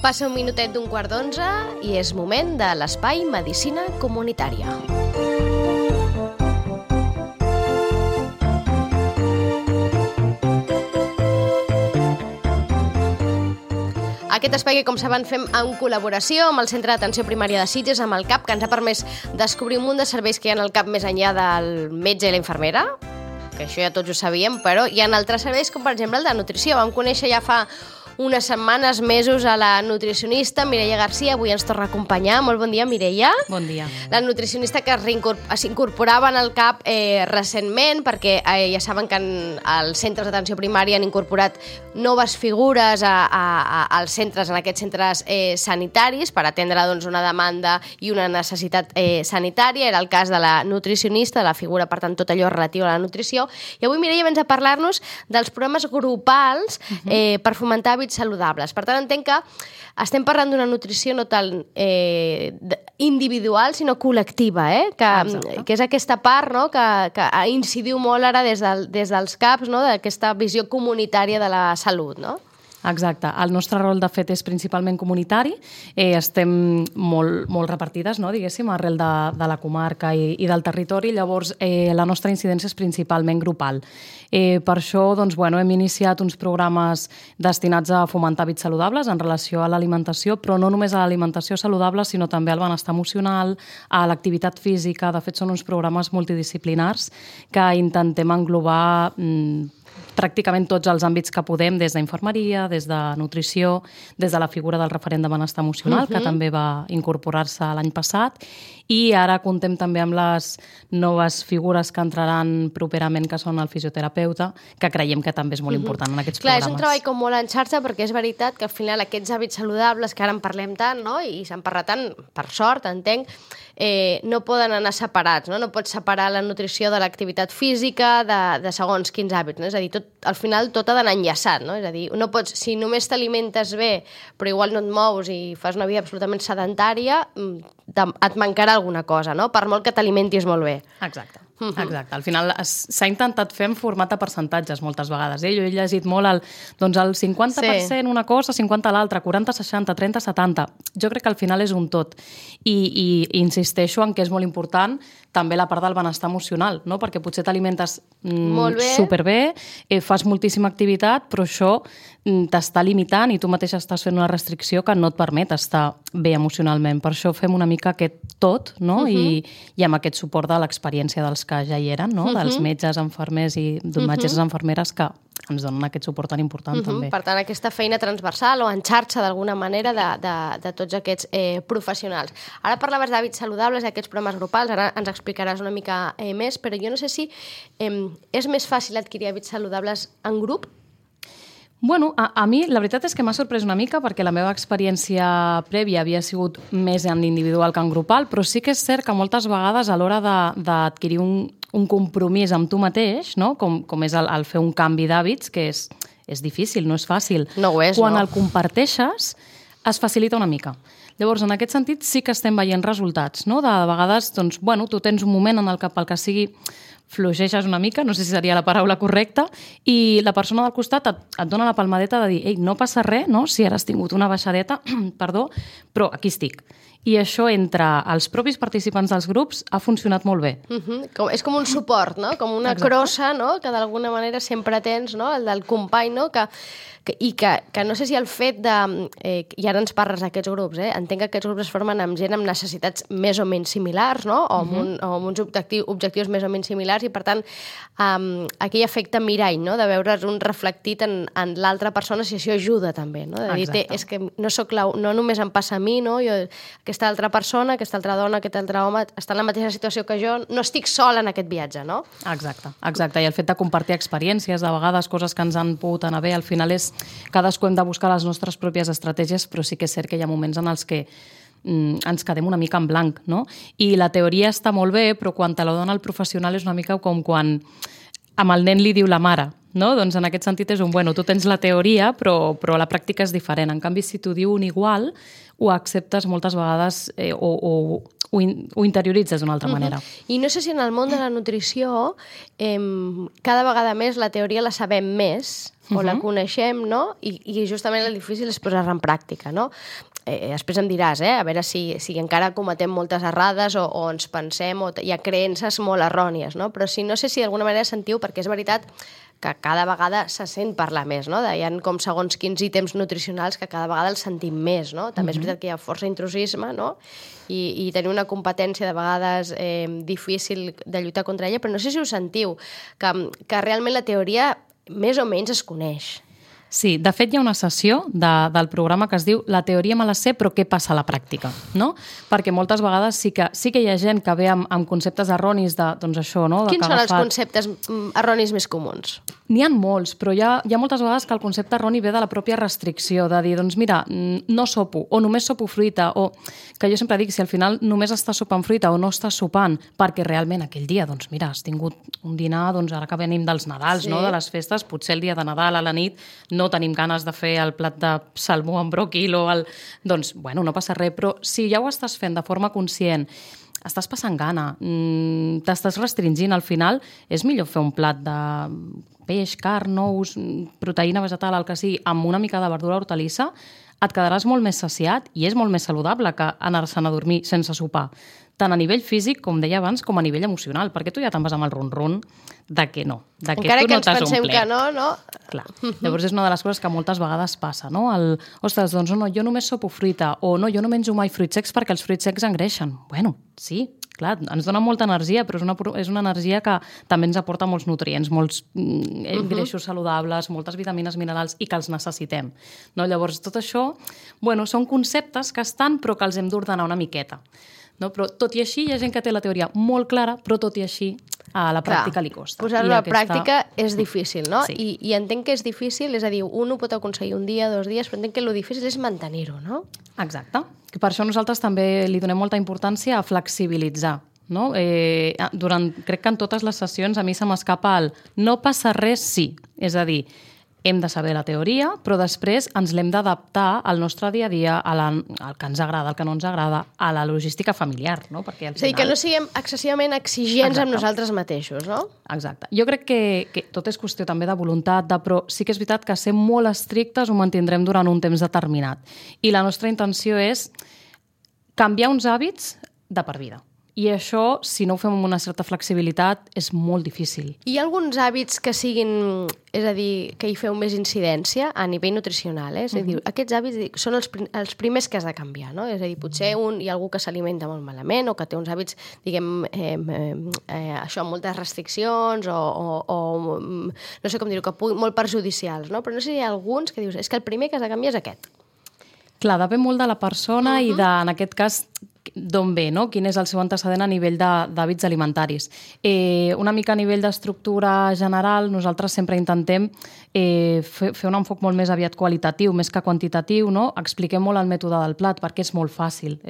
Passa un minutet d'un quart d'11 i és moment de l'Espai Medicina Comunitària. Aquest espai que, com saben, fem en col·laboració amb el Centre d'Atenció Primària de Sitges, amb el CAP, que ens ha permès descobrir un munt de serveis que hi ha al CAP més enllà del metge i la infermera, que això ja tots ho sabíem, però hi ha altres serveis, com per exemple el de nutrició. Vam conèixer ja fa unes setmanes, mesos, a la nutricionista Mireia Garcia. Avui ens torna a acompanyar. Molt bon dia, Mireia. Bon dia. La nutricionista que s'incorporava en el CAP recentment, perquè ja saben que als centres d'atenció primària han incorporat noves figures als centres, en aquests centres sanitaris, per atendre una demanda i una necessitat sanitària. Era el cas de la nutricionista, de la figura, per tant, tot allò relatiu a la nutrició. I avui, Mireia, vens a parlar-nos dels programes grupals per fomentar hàbits saludables. Per tant, entenc que estem parlant d'una nutrició no tant individual, sinó col·lectiva, que és aquesta part, no?, que incidiu molt ara des dels CAPs, no?, d'aquesta visió comunitària de la salut, no? Exacte. El nostre rol, de fet, és principalment comunitari. Estem molt repartides, no?, diguéssim, arrel de la comarca i del territori. Llavors, la nostra incidència és principalment grupal. Per això, doncs, hem iniciat uns programes destinats a fomentar hàbits saludables en relació a l'alimentació, però no només a l'alimentació saludable, sinó també al benestar emocional, a l'activitat física. De fet, són uns programes multidisciplinars que intentem englobar pràcticament tots els àmbits que podem, des d'infermeria, des de nutrició, des de la figura del referent de benestar emocional, que també va incorporar-se l'any passat, i ara contem també amb les noves figures que entraran properament, que són el fisioterapeuta, que creiem que també és molt important en aquests programes. Clar, és un treball com molt en xarxa, perquè és veritat que al final aquests hàbits saludables, que ara en parlem tant, no?, i se'n parla tant, per sort, entenc, no poden anar separats, no? No pots separar la nutrició de l'activitat física, de segons quins hàbits, no? És a dir, al final tot ha d'anar enllaçat, no? És a dir, no pots, si només t'alimentes bé, però igual no et mous i fas una vida absolutament sedentària, et mancarà alguna cosa, no?, per molt que t'alimentis molt bé. Exacte. Exacte. Al final s'ha intentat fer en format de percentatges moltes vegades. Jo he llegit molt el 50% una cosa, 50% l'altra, 40-60, 30-70. Jo crec que al final és un tot. I insisteixo en que és molt important també la part del benestar emocional, no? Perquè potser t'alimentes superbé, fas moltíssima activitat, però això t'està limitant i tu mateix estàs fent una restricció que no et permet estar bé emocionalment. Per això fem una mica aquest tot, no? I amb aquest suport de l'experiència dels que ja hi eren, no? Dels metges, infermers i metges i infermeres que ens donen aquest suport tan important també. Per tant, aquesta feina transversal o en xarxa d'alguna manera de tots aquests professionals. Ara parlaves d'hàbits saludables, d'aquests programes grupals, ara ens explicaràs una mica més, però jo no sé si és més fàcil adquirir hàbits saludables en grup? Bueno, a mi la veritat és que m'ha sorprès una mica perquè la meva experiència prèvia havia sigut més en individual que en grupal, però sí que és cert que moltes vegades a l'hora d'adquirir un compromís amb tu mateix, no? Com és el fer un canvi d'hàbits, que és difícil, no és fàcil. No ho és, Quan no? el comparteixes, es facilita una mica. Llavors, en aquest sentit, sí que estem veient resultats, no? De vegades, doncs, tu tens un moment en el que pel que sigui fluixeixes una mica, no sé si seria la paraula correcta, i la persona del costat et dona la palmadeta de dir, ei, no passa res, no? Si ara has tingut una baixadeta, perdó, però aquí estic. I això entre els propis participants dels grups ha funcionat molt bé. És com un suport, no? Com una crossa, no?, que d'alguna manera sempre tens, no?, el del company, no?, que no sé si el fet de... I ara ens parles d'aquests grups, entenc que aquests grups es formen amb gent amb necessitats més o menys similars, no?, o amb uns objectius més o menys similars, i per tant, aquell efecte mirall, no?, de veure's un reflectit en l'altra persona, si això ajuda també, no?, de dir, és que no només em passa a mi, no?, aquesta altra persona, aquesta altra dona, aquest altre home està en la mateixa situació que jo, no estic sola en aquest viatge, no? Exacte. I el fet de compartir experiències, de vegades coses que ens han pogut anar bé, al final és cadascú hem de buscar les nostres pròpies estratègies, però sí que és cert que hi ha moments en els que ens quedem una mica en blanc, no? I la teoria està molt bé, però quan te la dona el professional és una mica com quan amb el nen li diu la mare, no? Doncs en aquest sentit és tu tens la teoria, però la pràctica és diferent. En canvi, si t'ho diu un igual, ho acceptes moltes vegades o ho interioritzes d'una altra manera. I no sé si en el món de la nutrició cada vegada més la teoria la sabem més, o la coneixem, no? I justament el difícil és posar-la en pràctica, no? Després em diràs, a veure si encara cometem moltes errades o ens pensem, o hi ha creences molt errònies, no? Però no sé si d'alguna manera sentiu, perquè és veritat que cada vegada se sent parlar més, no? Hi ha com segons quins ítems nutricionals que cada vegada els sentim més, no? També és veritat que hi ha força intrusisme, no? I tenir una competència de vegades difícil de lluitar contra ella, però no sé si ho sentiu, que realment la teoria més o menys es coneix. Sí, de fet hi ha una sessió del programa que es diu La teoria me la sé, però què passa a la pràctica? No? Perquè moltes vegades sí que hi ha gent que ve amb conceptes erronis de, doncs això, no? Quins són els conceptes erronis més comuns? N'hi ha molts, però hi ha moltes vegades que el concepte erroni ve de la pròpia restricció, de dir, doncs mira, no sopo, o només sopo fruita, o que jo sempre dic, si al final només estàs sopant fruita o no estàs sopant, perquè realment aquell dia, doncs mira, has tingut un dinar, doncs ara que venim dels Nadals, no? De les festes, potser el dia de Nadal a la nit no tenim ganes de fer el plat de salmó amb bròquil o el... Doncs, bueno, no passa res, però si ja ho estàs fent de forma conscient, estàs passant gana, t'estàs restringint, al final és millor fer un plat de peix, carn, ous, proteïna vegetal, el que sigui, amb una mica de verdura hortalissa, et quedaràs molt més saciat i és molt més saludable que anar-se'n a dormir sense sopar. Tant a nivell físic, com deia abans, com a nivell emocional, perquè tu ja te'n vas amb el ron-ron de que no, de que encara tu no t'has omplert. Encara que ens pensem que no, no? Clar. Llavors és una de les coses que moltes vegades passa, no? Ostres, doncs no, jo només sopo fruita, o no, jo no menjo mai fruits secs perquè els fruits secs engreixen. Bueno, sí, clar, ens dona molta energia, però és una energia que també ens aporta molts nutrients, molts greixos saludables, moltes vitamines, minerals, i que els necessitem. No? Llavors, tot això, bueno, són conceptes que estan, però que els hem d'ordenar una miqueta. No? Però tot i així, hi ha gent que té la teoria molt clara, però tot i així a la pràctica li costa. Posar-ho a la pràctica és difícil, no? Sí. I entenc que és difícil, és a dir, un ho pot aconseguir un dia, 2 dies, però entenc que el difícil és mantenir-ho, no? Exacte. Per això nosaltres també li donem molta importància a flexibilitzar. No? Crec que en totes les sessions a mi se m'escapa el no passa res, sí. És a dir, hem de saber la teoria, però després ens l'hem d'adaptar al nostre dia a dia, al que ens agrada, al que no ens agrada, a la logística familiar, no? Perquè al final... És a dir, que no siguem excessivament exigents amb nosaltres mateixos, no? Exacte. Jo crec que tot és qüestió també de voluntat, però sí que és veritat que ser molt estrictes ho mantindrem durant un temps determinat. I la nostra intenció és canviar uns hàbits de per vida. I això, si no ho fem amb una certa flexibilitat, és molt difícil. Hi ha alguns hàbits que siguin, és a dir, que hi feu més incidència a nivell nutricional, És a dir, aquests hàbits són els primers que has de canviar, no? És a dir, potser hi ha algú que s'alimenta molt malament o que té uns hàbits, diguem, això, amb moltes restriccions o no sé com dir-ho, molt perjudicials, no? Però no sé si hi ha alguns que dius, és que el primer que has de canviar és aquest. Clar, depèn molt de la persona i en aquest cas, d'on ve, no? Quin és el seu antecedent a nivell d'hàbits alimentaris. Una mica a nivell d'estructura general, nosaltres sempre intentem fer un enfoc molt més aviat qualitatiu, més que quantitatiu, no? Expliquem molt el mètode del plat, perquè és molt fàcil.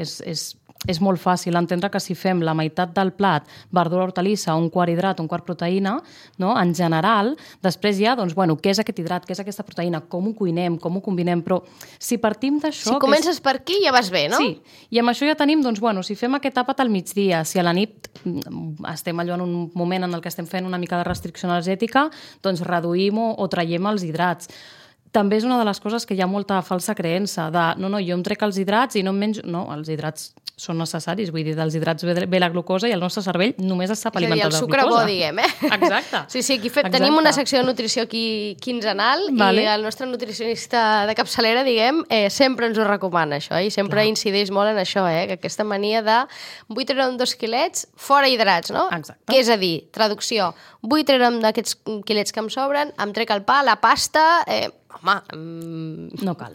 És molt fàcil entendre que si fem la meitat del plat verdura hortalissa, un quart hidrat, un quart proteïna, no? En general, després ja, doncs, bueno, què és aquest hidrat, què és aquesta proteïna, com ho cuinem, com ho combinem, però si partim d'això... Si comences per aquí ja vas bé, no? Sí, i amb això ja tenim, doncs, bueno, si fem aquest àpat al migdia, si a la nit estem allò en un moment en el que estem fent una mica de restricció energètica, doncs reduïm o traiem els hidrats. També és una de les coses que hi ha molta falsa creença de no, jo em trec els hidrats i no em menjo... No, els hidrats són necessaris, vull dir, dels hidrats ve la glucosa i el nostre cervell només es sap alimentar de glucosa. És a dir, el sucre bo, diguem, Exacte. Sí, aquí tenim una secció de nutrició aquí quinzenal i el nostre nutricionista de capçalera, diguem, sempre ens ho recomana, això, i sempre incideix molt en això, que aquesta mania de vull treure'm 2 quilets fora hidrats, no? Exacte. Que és a dir, traducció, vull treure'm d'aquests quilets que em sobren, em trec el pa, la pasta... No cal.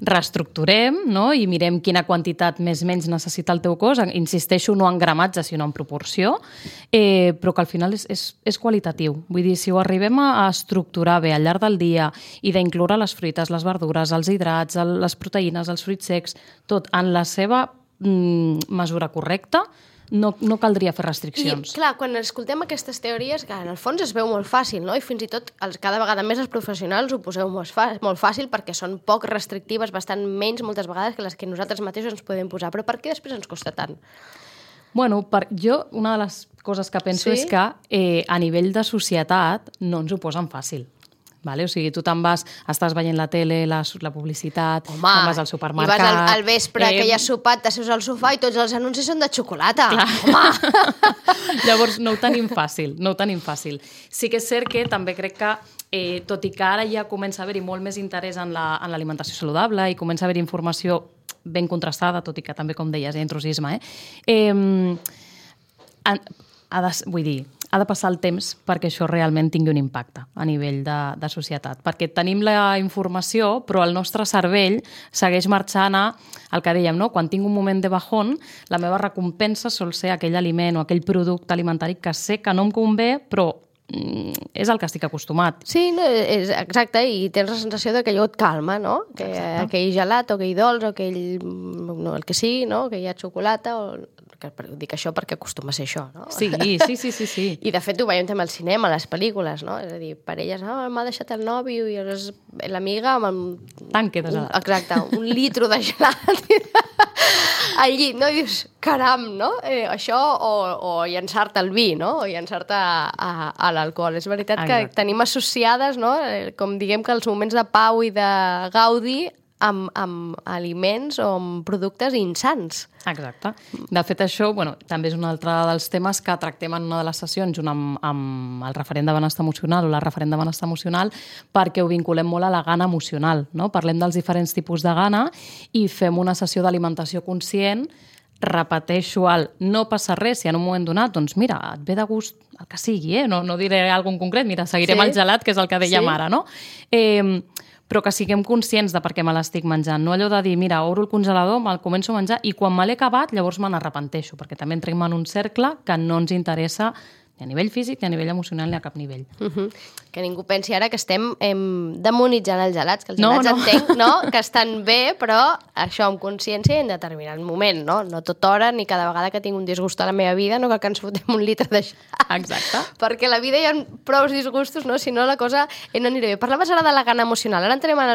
Reestructurem, no? I mirem quina quantitat més o menys necessita el teu cos. Insisteixo, no en gramatge, sinó en proporció, però que al final és qualitatiu. Vull dir, si ho arribem a estructurar bé al llarg del dia i d'incloure les fruites, les verdures, els hidrats, les proteïnes, els fruits secs, tot en la seva mesura correcta, no caldria fer restriccions. I, clar, quan escoltem aquestes teories, que en el fons es veu molt fàcil, no? I fins i tot cada vegada més els professionals ho poseu molt fàcil perquè són poc restrictives, bastant menys moltes vegades que les que nosaltres mateixos ens podem posar. Però per què després ens costa tant? Bueno, jo una de les coses que penso és que a nivell de societat no ens ho posen fàcil. Vale? O sigui, tu te'n vas, estàs veient la tele, la publicitat, te'n vas al supermercat... I vas al vespre que hi ha sopat, t'asseus al sofà i tots els anuncis són de xocolata. Clar. Home! Llavors, no ho tenim fàcil. Sí que és cert que també crec que, tot i que ara ja comença a haver-hi molt més interès en l'alimentació saludable i comença a haver-hi informació ben contrastada, tot i que també, com deies, hi ha intrusisme, vull dir, ha de passar el temps perquè això realment tingui un impacte a nivell de societat. Perquè tenim la informació, però el nostre cervell segueix marxant al que dèiem, no? Quan tinc un moment de bajón, la meva recompensa sol ser aquell aliment o aquell producte alimentari que sé que no em convé, però és el que estic acostumat. Sí, no, exacte, i tens la sensació que allò et calma, no? Que aquell gelat o aquell dolç o aquell... No, el que sigui, no? Que hi ha xocolata o... Dic això perquè acostuma a ser això, no? Sí. I de fet ho veiem també al cinema, a les pel·lícules, no? És a dir, parelles, m'ha deixat el nòvio i l'amiga amb... Tanque de gelat. Exacte, un litro de gelat al llit, no? I dius, caram, no? Això o llançar-te al vi, no? O llançar-te a l'alcohol. És veritat que tenim associades, no? Com diguem que els moments de pau i de gaudi amb aliments o amb productes insans. Exacte. De fet, això també és un altre dels temes que tractem en una de les sessions junt amb el referent de benestar emocional o la referent de benestar emocional, perquè ho vinculem molt a la gana emocional, no? Parlem dels diferents tipus de gana i fem una sessió d'alimentació conscient. Repeteixo no passa res si en un moment donat, doncs mira, et ve de gust el que sigui, no diré alguna en concret, mira, seguirem el gelat, que és el que dèiem ara, no? Però que siguem conscients de per què me l'estic menjant. No allò de dir, mira, obro el congelador, me'l començo a menjar i quan me l'he acabat, llavors me n'arrepenteixo, perquè també entrem en un cercle que no ens interessa ni a nivell físic, ni a nivell emocional, ni a cap nivell. Que ningú pensi ara que estem demonitzant els gelats, que els gelats entenc, no? Que estan bé, però això amb consciència i en determinat moment, no? No tota hora ni cada vegada que tinc un disgust a la meva vida, no cal que ens fotem un litre de gelat. Exacte. Perquè a la vida hi ha prou disgustos, no? Si no, la cosa no anirà bé. Parlaves ara de la gana emocional. Ara entrem en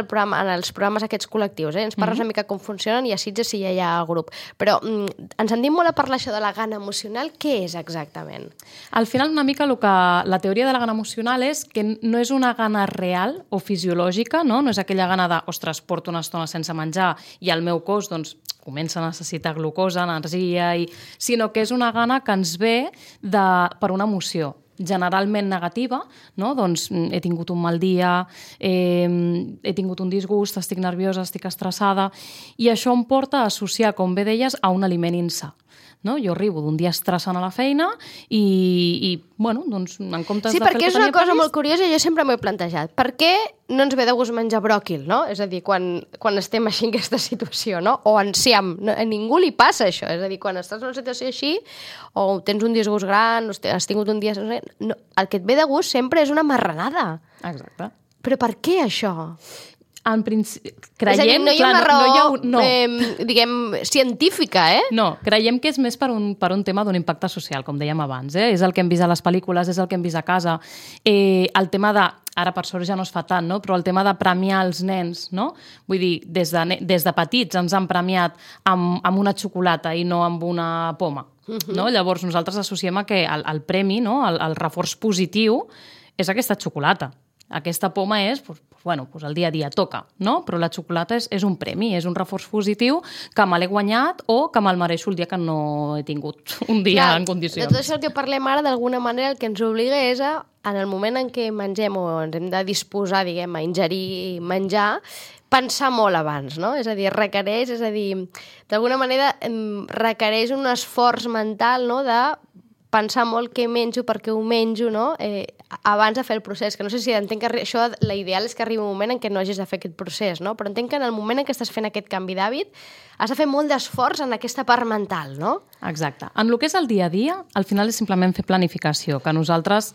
els programes aquests col·lectius, Ens parles una mica com funcionen i a Sitges si ja hi ha grup. Però ens en dim molt a parlar això de la gana emocional. Què és exactament? Al final, una mica la teoria de la gana emocional és que no és una gana real o fisiològica, no és aquella gana de, ostres, porto una estona sense menjar i el meu cos, doncs, comença a necessitar glucosa, energia, sinó que és una gana que ens ve per una emoció generalment negativa, no? Doncs he tingut un mal dia, he tingut un disgust, estic nerviosa, estic estressada, i això em porta a associar, com bé deies, a un aliment insà. No? Jo arribo d'un dia estressant a la feina i doncs, en comptes de fer el que tenia previst... Sí, perquè és una cosa molt curiosa i jo sempre m'ho he plantejat. Per què no ens ve de gust menjar bròquil, no? És a dir, quan estem així en aquesta situació, no? O enciam. A ningú li passa això. És a dir, quan estàs en una situació així, o tens un disgust gran, o has tingut un dia... No, el que et ve de gust sempre és una marranada. Exacte. Però per què això? En principi, creiem... No hi ha una raó, diguem, científica, No, creiem que és més per un tema d'un impacte social, com dèiem abans. És el que hem vist a les pel·lícules, és el que hem vist a casa. El tema de... Ara, per sort, ja no es fa tant, no? Però el tema de premiar els nens, no? Vull dir, des de petits ens han premiat amb una xocolata i no amb una poma. No? Llavors, nosaltres associem a que el premi, no? El reforç positiu, és aquesta xocolata. Aquesta poma és, el dia a dia toca, no? Però la xocolata és un premi, és un reforç positiu que me l'he guanyat o que me'l mereixo el dia que no he tingut un dia en condicions. De tot això que parlem ara, d'alguna manera, el que ens obliga és en el moment en què mengem o ens hem de disposar, diguem, a ingerir menjar, pensar molt abans, no? És a dir, d'alguna manera requereix un esforç mental, no?, de pensar molt què menjo, per què ho menjo, no? Abans de fer el procés, que no sé si entenc que això, l'ideal és que arribi un moment en què no hagis de fer aquest procés, no? Però entenc que en el moment en què estàs fent aquest canvi d'hàbit has de fer molt d'esforç en aquesta part mental, no? Exacte. En el que és el dia a dia, al final és simplement fer planificació, que nosaltres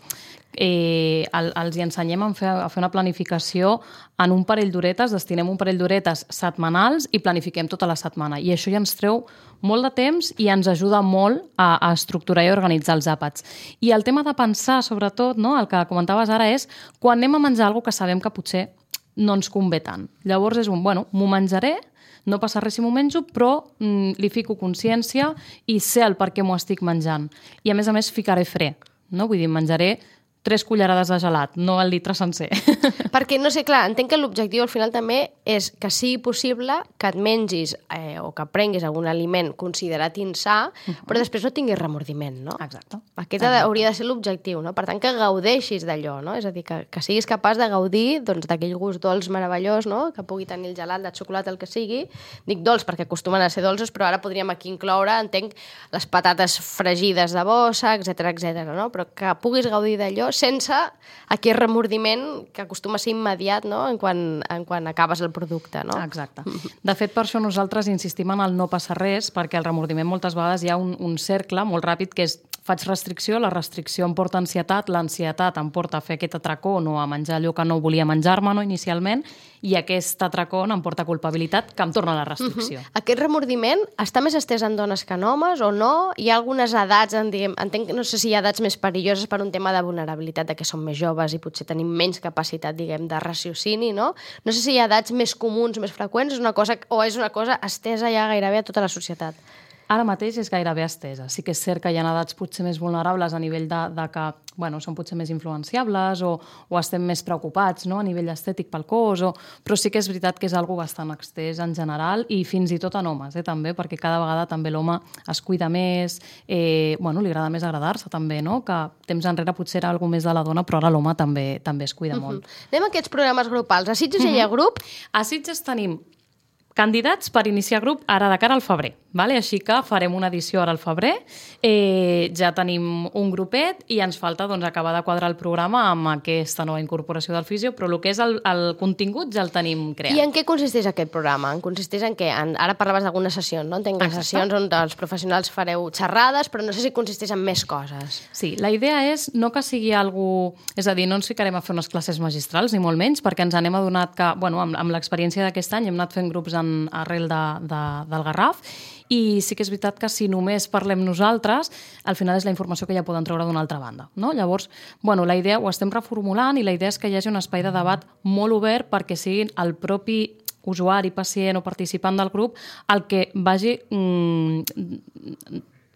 els hi ensenyem a fer una planificació en un parell d'horetes, destinem un parell d'horetes setmanals i planifiquem tota la setmana. I això ja ens treu molt de temps i ens ajuda molt a estructurar i organitzar els àpats. I el tema de pensar, sobretot, no? El que comentaves ara és quan anem a menjar alguna que sabem que potser no ens convé tant. Llavors és m'ho menjaré, no passa res si m'ho menjo, però li fico consciència i sé el per què m'ho estic menjant. I a més ficaré fre, no? Vull dir, menjaré 3 cullerades de gelat, no el litre sencer. Perquè, no sé, clar, entenc que l'objectiu al final també és que sigui possible que et mengis o que prenguis algun aliment considerat insà, però després no tinguis remordiment, no? Exacte. Aquest hauria de ser l'objectiu, no? Per tant, que gaudeixis d'allò, no? És a dir, que siguis capaç de gaudir d'aquell gust dolç meravellós, no? Que pugui tenir el gelat, de xocolata, el que sigui. Dic dolç perquè acostumen a ser dolços, però ara podríem aquí incloure, entenc, les patates fregides de bossa, etc, no? Però que puguis gaudir d'allò sense aquest remordiment que acostuma a ser immediat, no? en quan acabes el producte, no? Exacte. De fet, per això nosaltres insistim en el no passa res, perquè el remordiment moltes vegades hi ha un cercle molt ràpid que és faig restricció, la restricció em porta ansietat, l'ansietat em porta a fer aquest atracó o a menjar allò que no volia menjar-me, no, inicialment, i aquest atracó em porta culpabilitat que em torna a la restricció. Aquest remordiment està més estès en dones que en homes o no? Hi ha algunes edats, entenc, no sé si hi ha edats més perilloses per un tema de vulnerabilitat, de que som més joves i potser tenim menys capacitat, de raciocini, no? No sé si hi ha edats més comuns, més freqüents, és una cosa estesa ja gairebé a tota la societat. Ara mateix és gairebé estesa. Sí que és cert que hi ha edats potser més vulnerables a nivell de que són potser més influenciables o estem més preocupats, no? A nivell estètic pel cos, però sí que és veritat que és algo bastant estès en general i fins i tot en homes, també, perquè cada vegada també l'home es cuida més, li agrada més agradar-se també, no? Que temps enrere potser era alguna més de la dona, però ara l'home també es cuida molt. Anem a aquests programes grupals. A Sitges hi ha grup? A Sitges tenim candidats per iniciar grup ara de cara al febrer. Vale? Així que farem una edició ara al febrer, ja tenim un grupet i ens falta acabar de quadrar el programa amb aquesta nova incorporació del fisio, però el que és el contingut ja el tenim creat. I en què consisteix aquest programa? Consisteix en què? Ara parlaves d'algunes sessions, no? Entenc que sessions on els professionals fareu xerrades, però no sé si consisteix en més coses. Sí, la idea és no que sigui algú... És a dir, no ens ficarem a fer unes classes magistrals, ni molt menys, perquè ens anem adonat que, amb l'experiència d'aquest any hem anat fent grups arrel del Garraf, i sí que és veritat que si només parlem nosaltres, al final és la informació que ja poden treure d'una altra banda, no? Llavors, la idea ho estem reformulant i la idea és que hi hagi un espai de debat molt obert perquè siguin el propi usuari, pacient o participant del grup el que vagi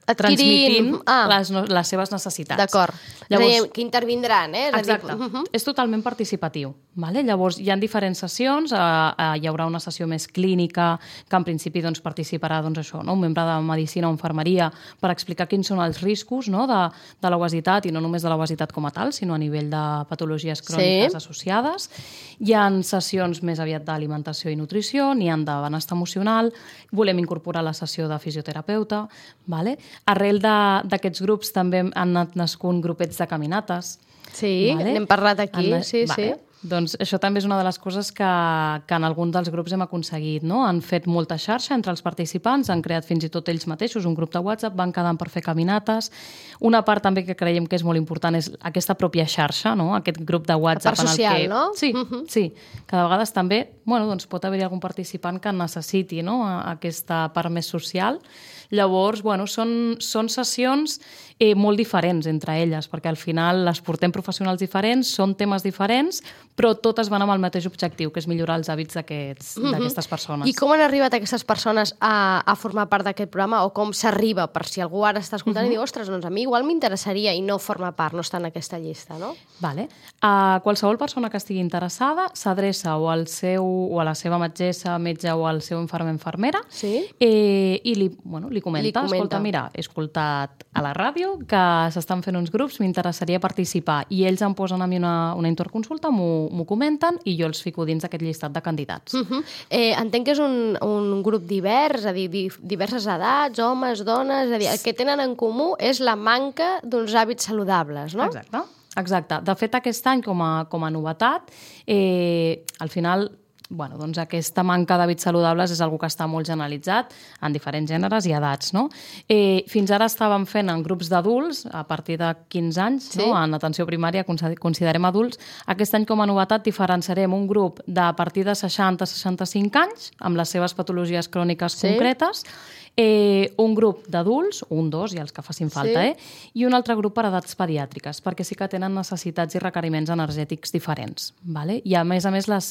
transmitint les seves necessitats. D'acord. Llavors, és a dir, que intervindran, Exacte. És totalment participatiu. Vale? Llavors, hi ha diferents sessions, hi haurà una sessió més clínica, que en principi participarà un membre de Medicina o Infermeria per explicar quins són els riscos de l'obesitat, i no només de l'obesitat com a tal, sinó a nivell de patologies cròniques associades. Hi ha sessions més aviat d'alimentació i nutrició, n'hi ha de benestar emocional, volem incorporar la sessió de fisioterapeuta, vale? Arrel d'aquests grups també han anat nascut grupets de caminates. Sí, n'hem parlat aquí, sí. Doncs això també és una de les coses que en alguns dels grups hem aconseguit, no? Han fet molta xarxa entre els participants, han creat fins i tot ells mateixos un grup de WhatsApp, van quedant per fer caminates. Una part també que creiem que és molt important és aquesta pròpia xarxa, no? Aquest grup de WhatsApp. La part social, no? Sí. Que de vegades també pot haver-hi algun participant que necessiti aquesta part més social. Llavors, són sessions molt diferents entre elles, perquè al final les portem professionals diferents, són temes diferents, però totes van amb el mateix objectiu, que és millorar els hàbits d'aquestes persones. I com han arribat aquestes persones a formar part d'aquest programa, o com s'arriba, per si algú ara està escoltant i diu, ostres, doncs a mi igual m'interessaria i no forma part, no està en aquesta llista, no? Vale. Qualsevol persona que estigui interessada s'adreça o a la seva metgessa, metge o al seu infermer, infermera, i li comenta, escolta, mira, he escoltat a la ràdio que s'estan fent uns grups, m'interessaria participar, i ells em posen a mi una interconsulta, m'ho comenten i jo els fico dins d'aquest llistat de candidats. Entenc que és un grup divers, és a dir, diverses edats, homes, dones, és a dir, el que tenen en comú és la manca d'uns hàbits saludables, no? Exacte. De fet, aquest any, com a novetat, al final aquesta manca d'hàbits saludables és una que està molt generalitzat en diferents gèneres i edats, no? Fins ara estàvem fent en grups d'adults, a partir de 15 anys, en atenció primària considerem adults. Aquest any, com a novetat, diferenciarem un grup de a partir de 60-65 anys, amb les seves patologies cròniques concretes, un grup d'adults, un, dos, i els que facin falta, i un altre grup per edats pediàtriques, perquè sí que tenen necessitats i requeriments energètics diferents. Vale? I a més,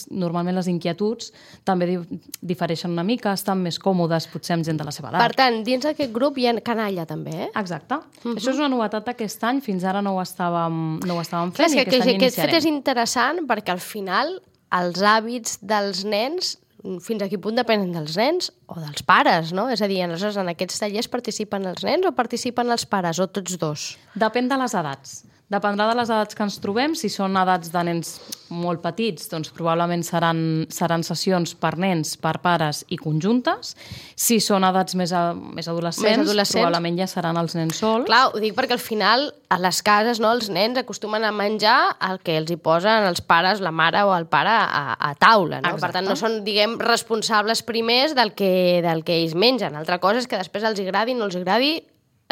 normalment les inquietuds també difereixen una mica, estan més còmodes, potser amb gent de la seva edat. Per tant, dins d'aquest grup hi ha canalla també, Exacte. Això és una novetat d'aquest any, fins ara no ho estàvem fent. Clar, és que aquest fet és interessant perquè al final els hàbits dels nens fins a quin punt depenen dels nens o dels pares, no? És a dir, aleshores en aquests tallers participen els nens o participen els pares, o tots dos? Depèn de les edats. Dependrà de les edats que ens trobem. Si són edats de nens molt petits, doncs probablement seran sessions per nens, per pares i conjuntes. Si són edats més adolescents, probablement ja seran els nens sols. Clar, ho dic perquè al final a les cases, no, els nens acostumen a menjar el que els hi posen els pares, la mare o el pare a taula, no? Exacte. Per tant, no són, diguem, responsables primers del que ells mengen. Altra cosa és que després els agradi, no els agradi,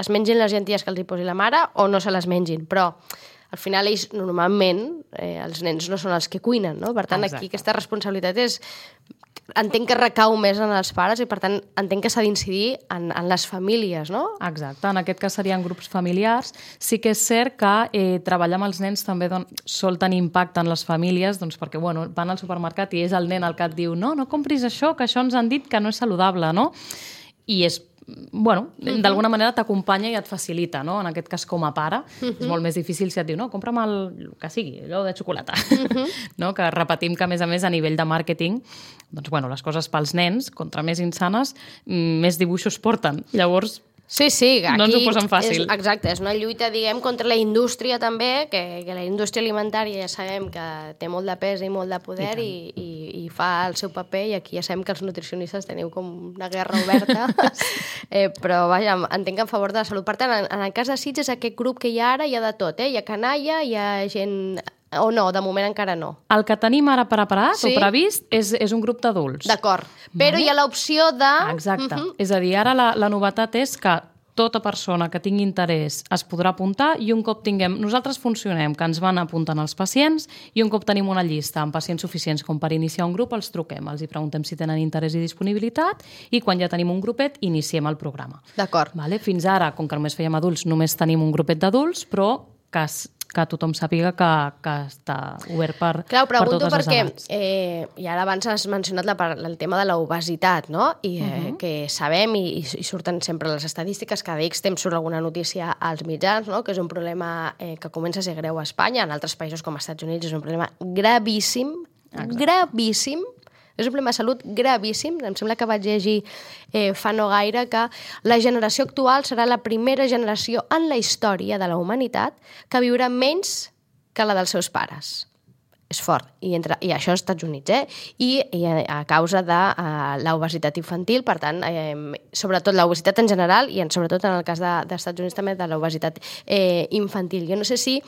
es mengin les llenties que els hi posi la mare o no se les mengin, però al final ells normalment, els nens no són els que cuinen, no? Per tant, aquí aquesta responsabilitat entenc que recau més en els pares i per tant entenc que s'ha d'incidir en les famílies, no? Exacte, en aquest cas serien grups familiars. Sí que és cert que treballar amb els nens també sol tenir impacte en les famílies, doncs perquè van al supermercat i és el nen el que et diu no compris això, que això ens han dit que no és saludable, no? I és d'alguna manera t'acompanya i et facilita, no? En aquest cas com a pare, és molt més difícil si et diu, no, compra'm el que sigui, allò de xocolata, no? Que repetim que, a més, a nivell de màrqueting, doncs, les coses pels nens, contra més insanes, més dibuixos porten. Llavors, sí, aquí no ens ho posen fàcil. Exacte, és una lluita, diguem, contra la indústria també, que la indústria alimentària ja sabem que té molt de pes i molt de poder i fa el seu paper, i aquí ja sabem que els nutricionistes teniu com una guerra oberta, però vaja, entenc que en favor de la salut. Per tant, en el cas de Sitges, aquest grup que hi ha ara hi ha de tot, hi ha canalla, hi ha gent... O no, de moment encara no. El que tenim ara preparat o previst és un grup d'adults. D'acord, però hi ha l'opció de... Exacte. És a dir, ara la novetat és que tota persona que tingui interès es podrà apuntar i un cop tinguem... Nosaltres funcionem, que ens van apuntant els pacients i un cop tenim una llista amb pacients suficients com per iniciar un grup, els truquem, els hi preguntem si tenen interès i disponibilitat i quan ja tenim un grupet iniciem el programa. D'acord. Fins ara, com que només fèiem adults, només tenim un grupet d'adults, però que tothom sàpiga que està obert per totes les edats. Clar, ho pregunto perquè, i ara abans has mencionat el tema de l'obesitat, no? I que sabem, i surten sempre les estadístiques, cada X temps surt alguna notícia als mitjans, no? Que és un problema que comença a ser greu a Espanya, en altres països com als Estats Units és un problema gravíssim, gravíssim. És un problema de salut gravíssim. Em sembla que vaig llegir fa no gaire que la generació actual serà la primera generació en la història de la humanitat que viurà menys que la dels seus pares. És fort. I això als Estats Units, I a causa de l'obesitat infantil, per tant, sobretot l'obesitat en general i sobretot en el cas dels Estats Units també de l'obesitat infantil. Jo no sé si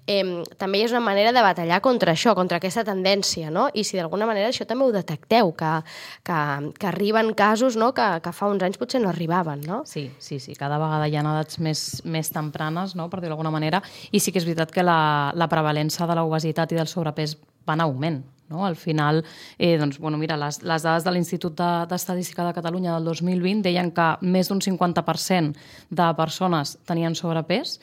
també hi és una manera de batallar contra això, contra aquesta tendència, no? I si d'alguna manera això també ho detecteu, que arriben casos, no? Que fa uns anys potser no arribaven, no? Sí. Cada vegada hi ha edats més tempranes, no? Per dir-ho d'alguna manera, i sí que és veritat que la prevalença de l'obesitat i del sobrepès va en augment. No? Al final, mira, les dades de l'Institut d'Estadística de Catalunya del 2020 deien que més d'un 50% de persones tenien sobrepès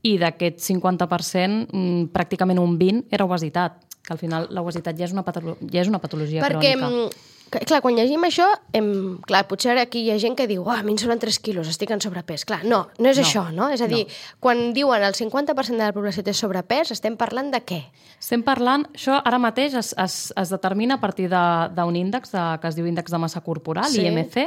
i d'aquest 50%, pràcticament un 20% era obesitat, que al final l'obesitat ja és una patologia crònica. Perquè, clar, quan llegim això, clar, potser aquí hi ha gent que diu a mi em sobren 3 quilos, estic en sobrepès. Clar, no és això, no? És a dir, quan diuen el 50% de la població té sobrepès, estem parlant de què? Estem parlant, això ara mateix es determina a partir d'un índex que es diu índex de massa corporal, IMC,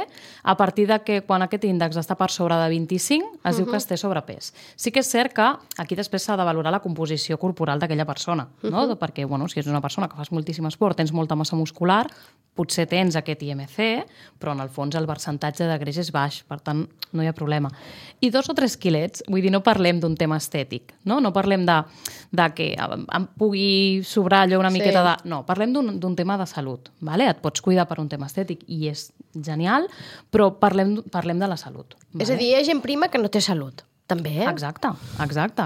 a partir de que quan aquest índex està per sobre de 25, es diu que es té sobrepès. Sí que és cert que aquí després s'ha de valorar la composició corporal d'aquella persona, no? Perquè, si és una persona que fas moltíssim esport, tens molta massa muscular, potser tens aquest IMC, però en el fons el percentatge de greix és baix, per tant no hi ha problema. I 2 o 3 quilets, vull dir, no parlem d'un tema estètic, no parlem de que em pugui sobrar allò una miqueta de... No, parlem d'un tema de salut, vale? Et pots cuidar per un tema estètic i és genial, però parlem de la salut. Vale? És a dir, hi ha gent prima que no té salut. També. Exacte,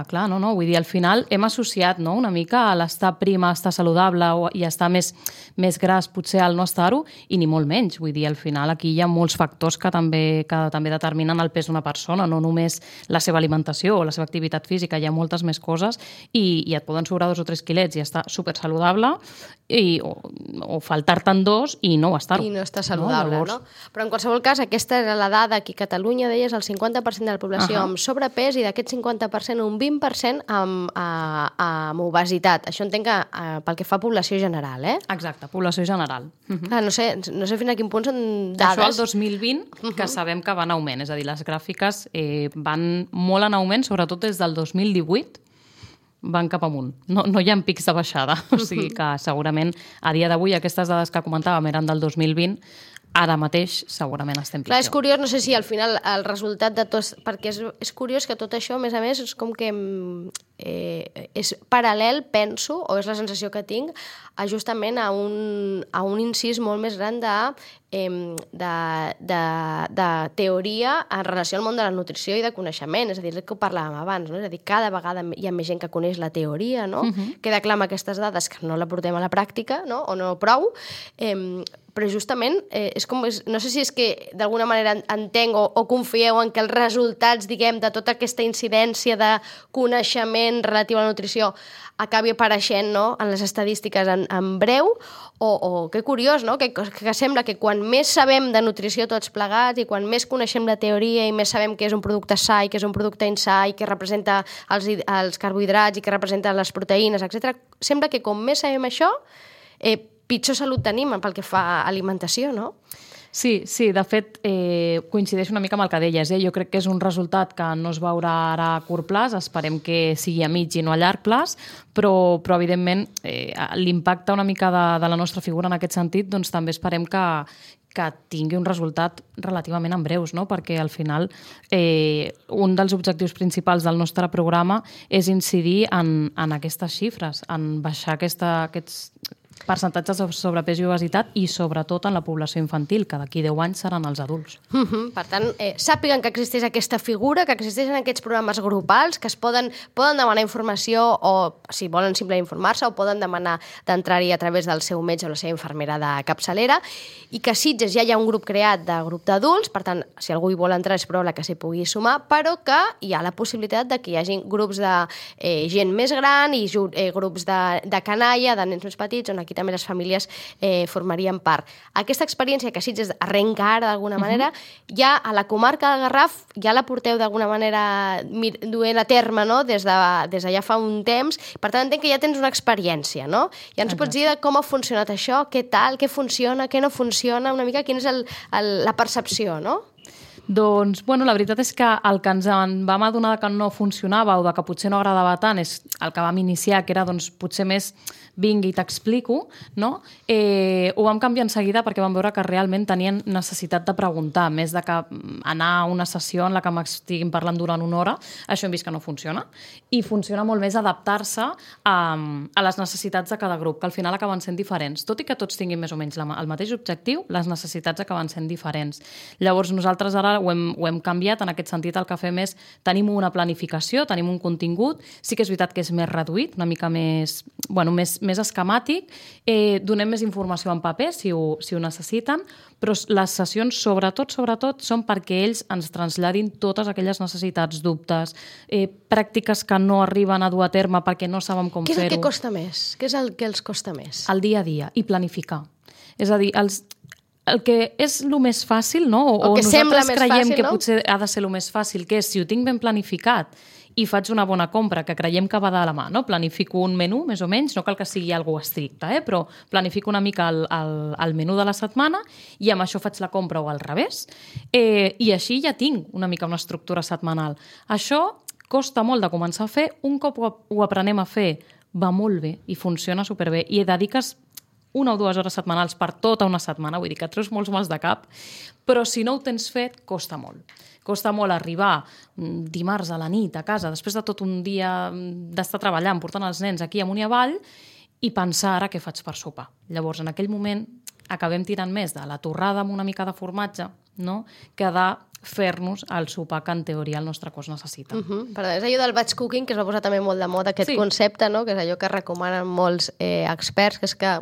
clar, no, vull dir, al final hem associat, no, una mica a l'estar prim, a estar saludable i a estar més gras potser al no estar-ho, i ni molt menys, vull dir, al final aquí hi ha molts factors que també determinen el pes d'una persona, no només la seva alimentació o la seva activitat física, hi ha moltes més coses i et poden sobrar 2 o 3 quilets i estar supersaludable o faltar-te'n 2 i no estar-ho. I no estar saludable, no? Però en qualsevol cas, aquesta era la dada aquí a Catalunya, deies, el 50% de la població amb sobrepès i d'aquest 50% un 20% amb obesitat. Això entenc que pel que fa a població general, eh? Exacte, població general. Clar, no sé fins a quin punt són dades. Això el 2020, que sabem que va en augment, és a dir, les gràfiques van molt en augment, sobretot des del 2018, van cap amunt. No hi ha pics de baixada. O sigui que segurament a dia d'avui aquestes dades que comentàvem eren del 2020, ara mateix segurament estem pitjor. Clar, és curiós, no sé si al final el resultat de tot... Perquè és curiós que tot això, a més, és com que és paral·lel, penso, o és la sensació que tinc, justament a un incís molt més gran de teoria en relació al món de la nutrició i de coneixement. És a dir, el que ho parlàvem abans, no? És a dir, cada vegada hi ha més gent que coneix la teoria, no? Queda clar amb aquestes dades que no la portem a la pràctica, no? O no prou, però justament no sé si és que d'alguna manera entenc o confieu en que els resultats, diguem, de tota aquesta incidència de coneixement relatiu a la nutrició acabi apareixent, no?, en les estadístiques en breu, o que curiós, no?, que sembla que quan més sabem de nutrició tots plegats i quan més coneixem la teoria i més sabem què és un producte sa i què és un producte insà i què representa els carbohidrats i què representa les proteïnes, etc., sembla que com més sabem això, pitjor salut tenim pel que fa a alimentació, no? Sí, de fet, coincideix una mica amb el que deies. Jo crec que és un resultat que no es veurà ara a curt plaç, esperem que sigui a mig i no a llarg plaç, però evidentment l'impacte una mica de la nostra figura en aquest sentit, doncs també esperem que tingui un resultat relativament en breus, no? Perquè al final un dels objectius principals del nostre programa és incidir en aquestes xifres, en baixar aquests percentatges de sobrepès i obesitat i sobretot en la població infantil, que d'aquí 10 anys seran els adults. Per tant, sàpiguen que existeix aquesta figura, que existeixen aquests programes grupals, que es poden demanar informació o, si volen simplement informar-se, o poden demanar d'entrar-hi a través del seu metge o la seva infermera de capçalera, i que a Sitges ja hi ha un grup creat de grup d'adults, per tant, si algú hi vol entrar és probable que s'hi pugui sumar, però que hi ha la possibilitat de que hi hagi grups de gent més gran i grups de canalla, de nens més petits, on aquí també les famílies formarien part. Aquesta experiència que Sitges arrenca ara d'alguna manera, ja a la comarca del Garraf ja la porteu d'alguna manera duent a terme, no?, des de ja fa un temps. Per tant, entenc que ja tens una experiència, no? Ja ens pots dir com ha funcionat això, què tal, què funciona, què no funciona, una mica quina és la percepció, no? Doncs, la veritat és que el que ens en vam adonar que no funcionava o que potser no agradava tant és el que vam iniciar, que era potser més vingui i t'explico, no? Ho vam canviar en seguida perquè vam veure que realment tenien necessitat de preguntar, més de que anar a una sessió en la que m'estiguin parlant durant una hora, això hem vist que no funciona, i funciona molt més adaptar-se a les necessitats de cada grup, que al final acaben sent diferents. Tot i que tots tinguin més o menys el mateix objectiu, les necessitats acaben sent diferents. Llavors nosaltres ara ho hem canviat, en aquest sentit el que fem és tenim una planificació, tenim un contingut, sí que és veritat que és més reduït, una mica més esquemàtic, donem més informació en paper si ho necessiten, però les sessions sobretot són perquè ells ens traslladin totes aquelles necessitats, dubtes, pràctiques que no arriben a dur a terme perquè no saben com fer-ho. Què és el que costa més? Què és el que els costa més? El dia a dia i planificar. És a dir, el que és el més fàcil, no? O nosaltres creiem que potser ha de ser el més fàcil, que és si ho tinc ben planificat i faig una bona compra, que creiem que va de la mà, no? Planifico un menú, més o menys, no cal que sigui algo estricte, però planifico una mica el menú de la setmana i amb això faig la compra o al revés, i així ja tinc una mica una estructura setmanal. Això costa molt de començar a fer, un cop ho aprenem a fer va molt bé i funciona superbé i dediques 1 o 2 hores setmanals per tota una setmana, vull dir que et treus molts mals de cap, però si no ho tens fet, costa molt. Costa molt arribar dimarts a la nit a casa, després de tot un dia d'estar treballant, portant els nens aquí amunt i avall, i pensar ara què faig per sopar. Llavors, en aquell moment, acabem tirant més de la torrada amb una mica de formatge, no?, que de fer-nos el sopar que en teoria el nostre cos necessita. Perdó, és allò del batch cooking, que es va posar també molt de moda, aquest concepte, no? Que és allò que recomanen molts experts, que és que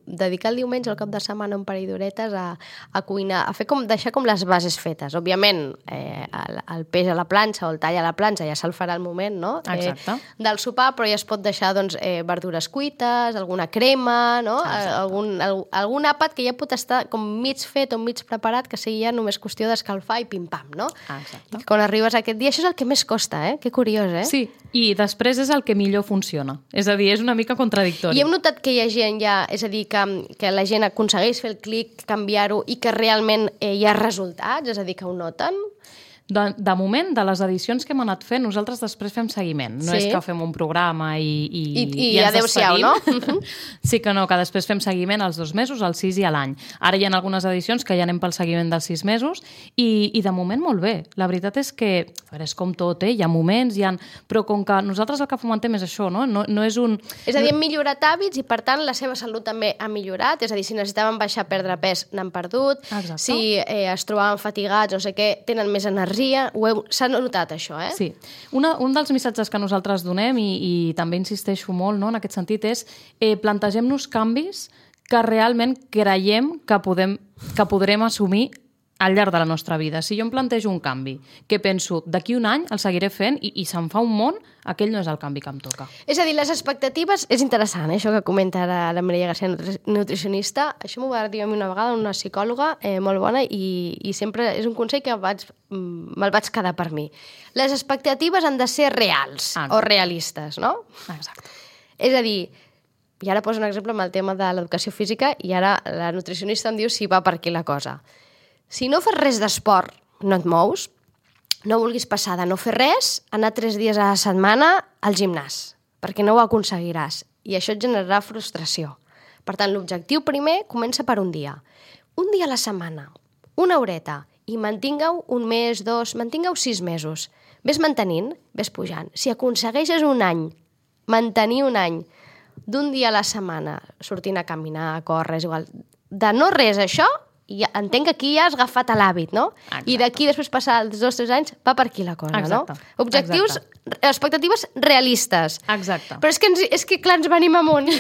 dedicar el diumenge al cap de setmana un parell d'horetes a cuinar, a fer deixar com les bases fetes. Òbviament, el peix a la planxa o el tall a la planxa ja se'l farà al moment, no? Exacte. Del sopar, però ja es pot deixar doncs, verdures cuites, alguna crema, no? Algun àpat que ja pot estar com mig fet o mig preparat, que sigui ja només qüestió d'escalfar i pim-pam, no? Exacte. I quan arribes a aquest dia, això és el que més costa, eh? Que curiós, eh? Sí, i després és el que millor funciona. És a dir, és una mica contradictori. I hem notat que hi ha gent ja, és a dir, que la gent aconsegueix fer el clic, canviar-ho i que realment hi ha resultats, és a dir, que ho noten? De moment, de les edicions que hem anat fent, nosaltres després fem seguiment. No és que fem un programa i ens despedim. No? Sí que no, que després fem seguiment als 2 mesos, als 6 i a l'any. Ara hi ha algunes edicions que ja anem pel seguiment dels 6 mesos i de moment molt bé. La veritat és que, a veure, és com tot, hi ha moments, però com que nosaltres el que fomentem és això, no? No és un... És a dir, hem millorat hàbits i, per tant, la seva salut també ha millorat. És a dir, si necessitaven baixar, perdre pes, n'han perdut. Exacte. Si es trobaven fatigats, no sé què, tenen més energia. S'ha notat això, eh? Sí. Un dels missatges que nosaltres donem, i també insisteixo molt, no, en aquest sentit, és plantegem-nos canvis que realment creiem que podrem assumir al llarg de la nostra vida. Si jo em plantejo un canvi que penso d'aquí un any el seguiré fent i se'n fa un món, aquell no és el canvi que em toca. És a dir, les expectatives... És interessant, això que comenta ara la Mireia García, nutricionista. Això m'ho va dir a mi una vegada una psicòloga molt bona i sempre és un consell que me'l vaig quedar per mi. Les expectatives han de ser reals o realistes, no? Exacte. És a dir, i ara poso un exemple amb el tema de l'educació física i ara la nutricionista em diu si va per aquí la cosa. Si no fas res d'esport, no et mous, no vulguis passar de no fer res, anar 3 dies a la setmana al gimnàs, perquè no ho aconseguiràs. I això et generarà frustració. Per tant, l'objectiu primer comença per un dia. Un dia a la setmana, una horeta, i mantingueu un mes, 2, mantingueu 6 mesos. Ves mantenint, ves pujant. Si aconsegueixes un any, mantenir un any, d'un dia a la setmana, sortint a caminar, a córrer, és igual, de no res això, i entenc que aquí ja has agafat l'hàbit, no? Exacte. I d'aquí, després passar els 2 o 3 anys, va per aquí la cosa, exacte. No? Objectius, expectatives realistes. Exacte. Però és que clar, ens venim amunt.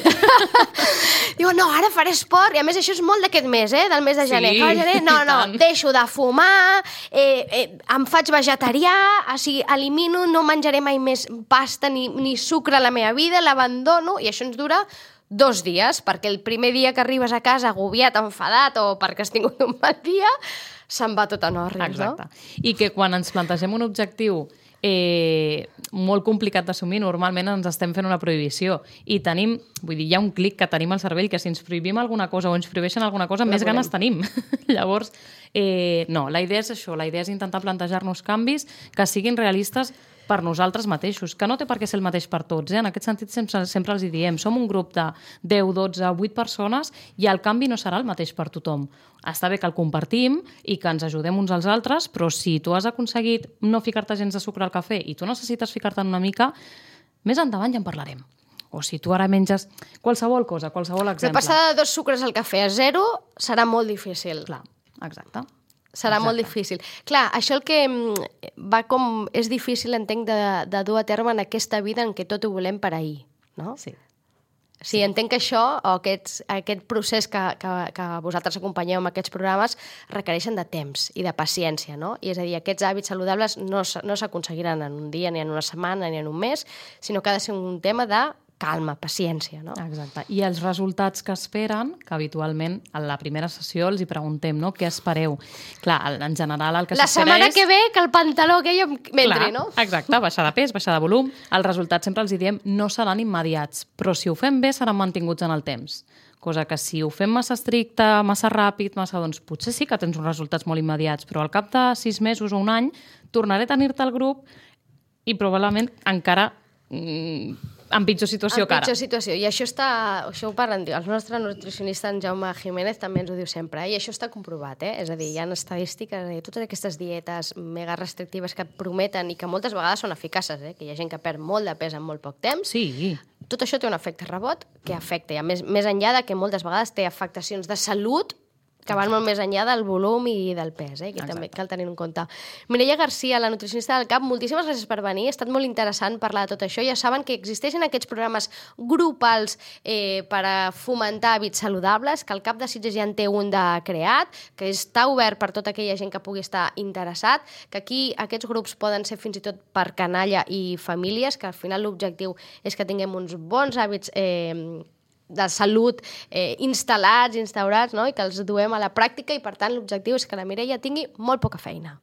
Diu, no, ara faré esport, i a més això és molt d'aquest mes, del mes de gener. Sí, gener no, deixo de fumar, em faig vegetarià, o sigui, elimino, no menjaré mai més pasta ni sucre a la meva vida, l'abandono, i això ens dura 2 dies, perquè el primer dia que arribes a casa agobiat, enfadat o perquè has tingut un mal dia, se'n va tot en òrrils, no? Exacte. I que quan ens plantegem un objectiu molt complicat d'assumir, normalment ens estem fent una prohibició i tenim, vull dir, hi ha un clic que tenim al cervell que si ens prohibim alguna cosa o ens prohibeixen alguna cosa, més ganes tenim. Llavors, no, la idea és això, la idea és intentar plantejar-nos canvis que siguin realistes per nosaltres mateixos, que no té per què ser el mateix per tots. En aquest sentit, sempre els hi diem, som un grup de 10, 12, 8 persones i el canvi no serà el mateix per tothom. Està bé que el compartim i que ens ajudem uns als altres, però si tu has aconseguit no ficar-te gens de sucre al cafè i tu necessites ficar-te'n una mica, més endavant ja en parlarem. O si tu ara menges qualsevol cosa, qualsevol exemple. De passar de 2 sucres al cafè a 0 serà molt difícil. Clar, exacte. Serà molt difícil. Clar, això el que va com... És difícil, entenc, de dur a terme en aquesta vida en què tot ho volem per ahir, no? Sí. Sí, entenc que això, o aquest procés que vosaltres acompanyeu amb aquests programes, requereixen de temps i de paciència, no? I és a dir, aquests hàbits saludables no s'aconseguiran en un dia, ni en una setmana, ni en un mes, sinó que ha de ser un tema de calma, paciència, no? Exacte. I els resultats que esperen, que habitualment a la primera sessió els hi preguntem, no? Què espereu? Clar, en general el que s'espera és... La setmana que ve que el pantaló aquell m'entri, no? Exacte, baixar de pes, baixar de volum. Els resultats sempre els hi diem no seran immediats, però si ho fem bé seran mantinguts en el temps. Cosa que si ho fem massa estricte, massa ràpid, doncs potser sí que tens uns resultats molt immediats, però al cap de 6 mesos o un any tornaré a tenir-te al grup i probablement encara... en pitjor situació que ara. En pitjor situació. I això ho parlen, el nostre nutricionista, en Jaume Jiménez, també ens ho diu sempre, i això està comprovat, És a dir, hi ha estadístiques, totes aquestes dietes mega restrictives que prometen i que moltes vegades són eficaces, que hi ha gent que perd molt de pes en molt poc temps. Sí. Tot això té un efecte rebot que afecta, i a més enllà de que moltes vegades té afectacions de salut que van molt més enllà del volum i del pes, que també cal tenir en compte. Mireia Garcia, la nutricionista del CAP, moltíssimes gràcies per venir, ha estat molt interessant parlar de tot això. Ja saben que existeixen aquests programes grupals per a fomentar hàbits saludables, que el CAP de Sitges ja en té un de creat, que està obert per tota aquella gent que pugui estar interessat, que aquí aquests grups poden ser fins i tot per canalla i famílies, que al final l'objectiu és que tinguem uns bons hàbits de salut instal·lats, instaurats, no? I que els duem a la pràctica i, per tant, l'objectiu és que la Mireia tingui molt poca feina.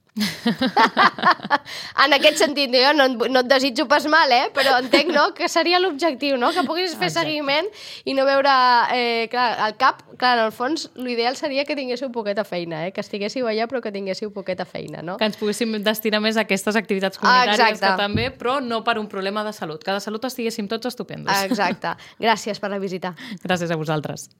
En aquest sentit, jo no et desitjo pas mal, però entenc que seria l'objectiu, que puguis fer seguiment i no veure... Clar, al CAP, en el fons, l'ideal seria que tinguéssiu poqueta feina, que estiguéssiu allà però que tinguéssiu poqueta feina, no? Que ens poguéssim destinar més a aquestes activitats comunitàries que també, però no per un problema de salut, que de salut estiguéssim tots estupendos. Exacte. Gràcies per la visita. Gràcies a vosaltres.